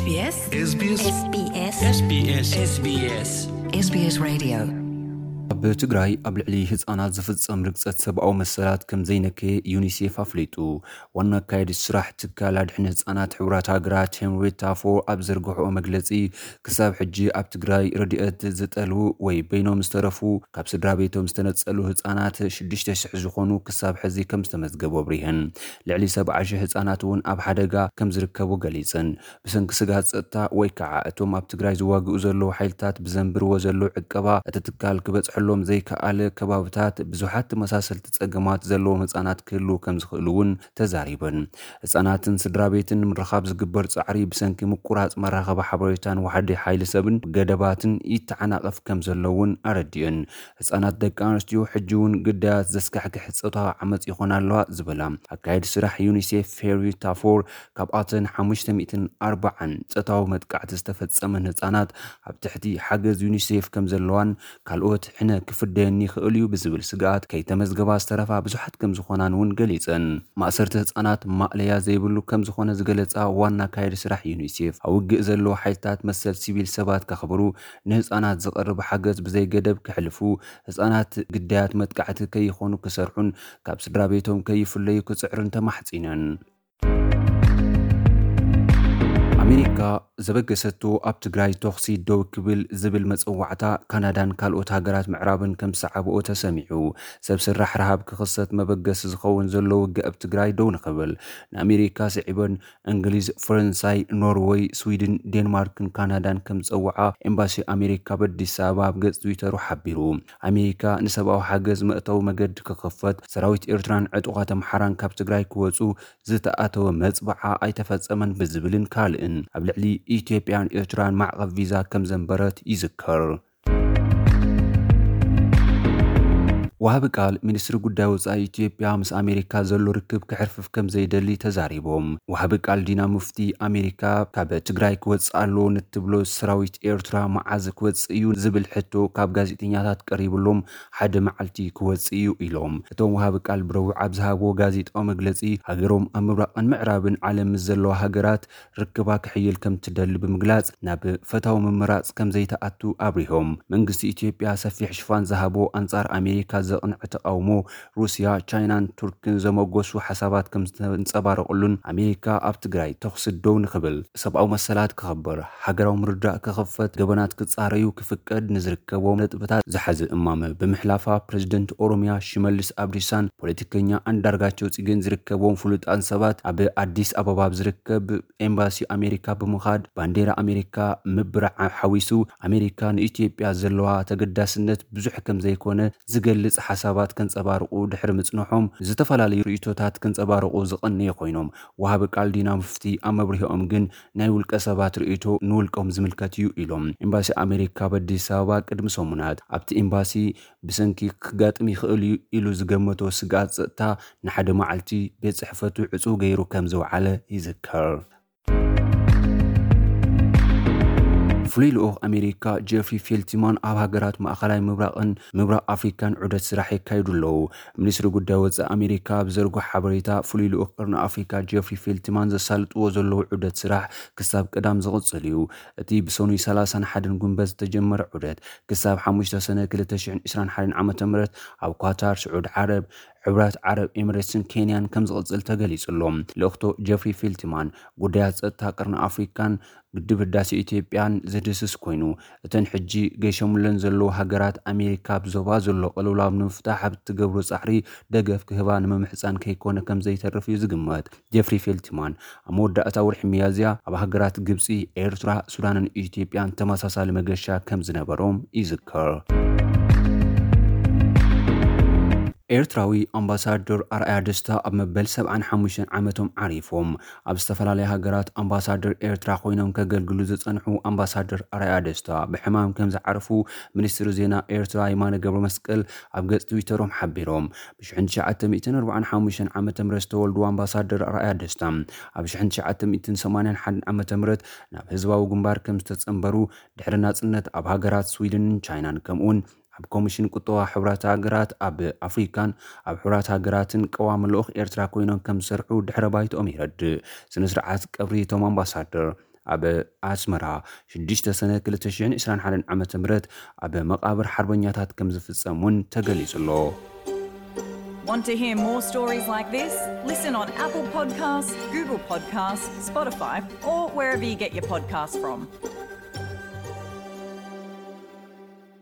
SBS SBS SBS SBS SBS Radio. ኣብ ትግራይ ኣብ ልዕሊ ህፃናት ዝፍጸም ርግጸት ሰብኣዊ መሰላት ከም ዘይነከየ ዩኒሴፍ ኣፍሊጡ። ዋና ኣካየዲ ስራሕ ትካል ኣድሕን ህፃናት ሕቡራት ሃገራት ሄንሪታ ፎር ኣብ ዘርግሕኦ መግለጺ፣ ክሳብ ሕጂ ኣብ ትግራይ ረድኤት ዝጠልቡ ወይ በይኖም ዝተረፉ ካብ ስድራ ቤቶም ዝተነጸሉ ህፃናት ሽዱሽተ ሽሕ ዝኾኑ ክሳብ ሕዚ ከም ዝተመዝገቡ ኣብሪሀን። ልዕሊ ሰብዓ ሽሕ ህፃናት እውን ኣብ ሓደጋ ከም ዝርከቡ ገሊጸን። ብሰንኪ ስግኣት ጸጥታ ወይ ከዓ እቶም ኣብ ትግራይ ዝዋግኡ ዘለዉ ሓይልታት ብዘንብርዎ ዘለዉ ዕቀባ፣ እቲ ትካል ክበጽሐሎም ዘይከኣለ ከባብታት ብዙሓት ተመሳሰልቲ ጸገማት ዘለዎም ህጻናት ክህልዉ ከም ዝኽእሉ እውን ተዛሪበን። ህጻናትን ስድራ ቤትን ንምርኻብ ዝግበር ጻዕሪ ብሰንኪ ምቁራጽ መራኸቢ ሓበሬታን ዋሕዲ ሓይሊ ሰብን ገደባትን ይተዓናቐፍ ከም ዘሎ እውን ኣረዲአን። ህጻናት ደቂ ኣንስትዮ ሕጂ እውን ግዳያት ዘስካሕክሕ ጾታዊ ዓመጽ ይኾና ኣለዋ ዝበላ ኣካየዲ ስራሕ ዩኒሴፍ ፌሪ ታፎር፣ ካብኣተን ሓሙሽተ ሚእትን ኣርባዓን ጾታዊ መጥቃዕቲ ዝተፈጸመን ህጻናት ኣብ ትሕቲ ሓገዝ ዩኒሴፍ ከም ዘለዋን ካልኦት ሕነ ክፍደየኒ ይኽእል እዩ ብዝብል ስግኣት ከይተመዝገባ ዝተረፋ ብዙሓት ከም ዝኾናን እውን ገሊጸን። ማእሰርቲ ህጻናት ማእለያ ዘይብሉ ከም ዝኾነ ዝገለጻ ዋና ኣካየዲ ስራሕ ዩኒሴፍ፣ ኣብ ውግእ ዘለዉ ሓይልታት መሰል ሲቪል ሰባት ከኽብሩ፣ ንህጻናት ዝቐርብ ሓገዝ ብዘይገደብ ክሕልፉ፣ ህጻናት ግዳያት መጥቃዕቲ ከይኾኑ ክሰርሑን ካብ ስድራ ቤቶም ከይፍለዩ ክጽዕሩን ተማሕጺነን። ኣሜሪካ ዘበገሰቶ ኣብ ትግራይ ተኹሲ ደው ክብል ዝብል መጸዋዕታ ካናዳን ካልኦት ሃገራት ምዕራብን ከም ዝሰዓብኦ ተሰሚዑ። ሰብ ሰራሕ ረሃብ ክኽሰት መበገሲ ዝኸውን ዘሎ ውግእ ኣብ ትግራይ ደው ንኽብል ንኣሜሪካ ስዒበን እንግሊዝ፣ ፈረንሳይ፣ ኖርወይ፣ ስዊድን፣ ዴንማርክን ካናዳን ከም ዝጸውዓ ኤምባሲ ኣሜሪካ ኣብ ኣዲስ ኣበባ ኣብ ገጽ ትዊተሩ ሓቢሩ። ኣሜሪካ ንሰብኣዊ ሓገዝ መእተዊ መገዲ ክኽፈት፣ ሰራዊት ኤርትራን ዕጡቓት ኣምሓራን ካብ ትግራይ ክወጹ ዝተኣተወ መጽብዓ ኣይተፈጸመን ብዝብልን ካልእን ኣብ ልዕሊ ኢትዮጵያን ኤርትራን ማዕቐብ ቪዛ ከም ዘንበረት ይዝከር። ወሃቢ ቃል ሚኒስትሪ ጉዳይ ወጻኢ ኢትዮጵያ ምስ ኣሜሪካ ዘሎ ርክብ ክሕርፍፍ ከም ዘይደሊ ተዛሪቦም። ወሃቢ ቃል ዲና ሙፍቲ፣ ኣሜሪካ ካብ ትግራይ ክወጽእ ኣለዎ ንትብሎ ሰራዊት ኤርትራ መዓዝ ክወጽእ እዩ ዝብል ሕቶ ካብ ጋዜጠኛታት ቀሪብሎም ሓደ መዓልቲ ክወጽእ እዩ ኢሎም። እቶም ወሃቢ ቃል ብረቡዕ ኣብ ዝሃብዎ ጋዜጣዊ መግለጺ፣ ሃገሮም ኣብ ምብራቕን ምዕራብን ዓለም ምስ ዘለዋ ሃገራት ርክባ ክሕይል ከም ትደሊ ብምግላጽ፣ ናብ ፈታዊ ምምራጽ ከም ዘይተኣቱ ኣብሪሆም። መንግስቲ ኢትዮጵያ ሰፊሕ ሽፋን ዝሃቦ ኣንጻር ኣሜሪካ ዘቕንዐ ተቓውሞ ሩስያ፣ ቻይናን ቱርክን ዘመጎሱ ሓሳባት ከም ዝተንጸባረቑሉን ኣሜሪካ ኣብ ትግራይ ተኹሲ ደው ንኽብል፣ ሰብኣዊ መሰላት ክኽበር፣ ሃገራዊ ምርዳእ ክኽፈት፣ ገበናት ክጻረዩ ክፍቀድ ንዝርከቦም ነጥብታት ዝሓዘ እማመ ብምሕላፋ፣ ፕሬዝደንት ኦሮሚያ ሽመልስ ኣብዲሳን ፖለቲከኛ ኣንዳርጋቸው ጽጌን ዝርከብዎም ፍሉጣን ሰባት ኣብ ኣዲስ ኣበባ ኣብ ዝርከብ ኤምባሲ ኣሜሪካ ብምኻድ ባንዴራ ኣሜሪካ ምብራዕ ሓዊሱ ኣሜሪካ ንኢትዮጵያ ዘለዋ ተገዳስነት ብዙሕ ከም ዘይኮነ ዝገልጽ ሓሳባት ከንጸባርቑ ድሕሪ ምጽንሖም፣ ዝተፈላለዩ ርእይቶታት ከንጸባርቑ ዝቐነዩ ኮይኖም፣ ወሃቢ ቃል ዲና ሙፍቲ ኣብ መብርሂኦም ግን ናይ ውልቀ ሰባት ርእይቶ ንውልቆም ዝምልከት እዩ ኢሎም። ኤምባሲ ኣሜሪካ ኣብ ኣዲስ ኣበባ ቅድሚ ሰሙናት ኣብቲ ኤምባሲ ብሰንኪ ክጋጥም ይኽእል እዩ ኢሉ ዝገመቶ ስግኣት ጸጥታ ንሓደ መዓልቲ ቤት ጽሕፈቱ ዕጹው ገይሩ ከም ዘውዓለ ይዝከር። ፍሉይ ልኡኽ ኣሜሪካ ጄፍሪ ፌልትማን ኣብ ሃገራት ማእኸላይ ምብራቕን ምብራቕ ኣፍሪካን ዑደት ስራሕ የካይዱ ኣለዉ። ሚኒስትሪ ጉዳይ ወጻኢ ኣሜሪካ ኣብ ዘርግሖ ሓበሬታ፣ ፍሉይ ልኡኽ ቅርኒ ኣፍሪካ ጄፍሪ ፌልትማን ዘሳልጥዎ ዘለዉ ዑደት ስራሕ ክሳብ ቀዳም ዝቕጽል እዩ። እቲ ብሰኑይ ሰላሳን ሓደን ጉንበት ዝተጀመረ ዑደት ክሳብ ሓሙሽተ ሰነ ክልተ ሽሕን ዕስራን ሓደን ዓመተ ምህረት ኣብ ኳታር፣ ስዑድ ዓረብ፣ ሕብራት ዓረብ ኤምሬትስን ኬንያን ከም ዝቕጽል ተገሊጹ ኣሎ። ልእኽቶ ጀፍሪ ፊልትማን ጉዳያት ጸጥታ ቀርኒ ኣፍሪካን ግድብ ህዳሴ ኢትዮጵያን ዝድህስስ ኮይኑ፣ እተን ሕጂ ገይሸሙለን ዘለዉ ሃገራት ኣሜሪካ ኣብ ዞባ ዘሎ ቅልውላው ንምፍታሕ ኣብ እትገብሮ ጻዕሪ ደገፍ ክህባ ንምምሕጻን ከይኮነ ከም ዘይተርፍ እዩ ዝግመት። ጀፍሪ ፌልትማን ኣብ መወዳእታ ወርሒ ሚያዝያ ኣብ ሃገራት ግብጺ፣ ኤርትራ፣ ሱዳንን ኢትዮጵያን ተመሳሳሊ መገሻ ከም ዝነበሮም ይዝከር። ኤርትራዊ ኣምባሳደር ኣርኣያ ደስታ ኣብ መበል ሰብዓን ሓሙሽተን ዓመቶም ዓሪፎም። ኣብ ዝተፈላለያ ሃገራት ኣምባሳደር ኤርትራ ኮይኖም ከገልግሉ ዝጸንሑ ኣምባሳደር ኣርኣያ ደስታ ብሕማም ከም ዝዓረፉ ሚኒስትሪ ዜና ኤርትራ የማነ ገብረመስቀል ኣብ ገጽ ትዊተሮም ሓቢሮም። ብ ሽሕን ትሽዓተ ሚእትን ኣርባዓን ሓሙሽተን ዓመተ ምህረት ዝተወልዱ ኣምባሳደር ኣርኣያ ደስታ፣ ኣብ ሽሕን ትሽዓተ ሚእትን ሰማንያን ሓደን ዓመተ ምህረት ናብ ህዝባዊ ግንባር ከም ዝተጸንበሩ፣ ድሕሪ ናጽነት ኣብ ሃገራት ስዊድንን ቻይናን፣ ከምኡውን ኣብ ኮሚሽን ቁጠባ ሕቡራት ሃገራት ኣብ ኣፍሪካን ኣብ ሕቡራት ሃገራትን ቀዋሚ ልኡኽ ኤርትራ ኮይኖም ከም ዝሰርሑ ድሕረ ባይትኦም የረድእ። ስነ ስርዓት ቀብሪ እቶም ኣምባሳደር ኣብ ኣስመራ ሽዱሽተ ሰነ ክልተ ሽሕን ዕስራን ሓደን ዓመተ ምህረት ኣብ መቓብር ሓርበኛታት ከም ዝፍጸም እውን ተገሊጹ ኣሎ። Want to hear more stories like this? Listen on Apple Podcasts, Google Podcasts, Spotify, or wherever you get your podcasts from.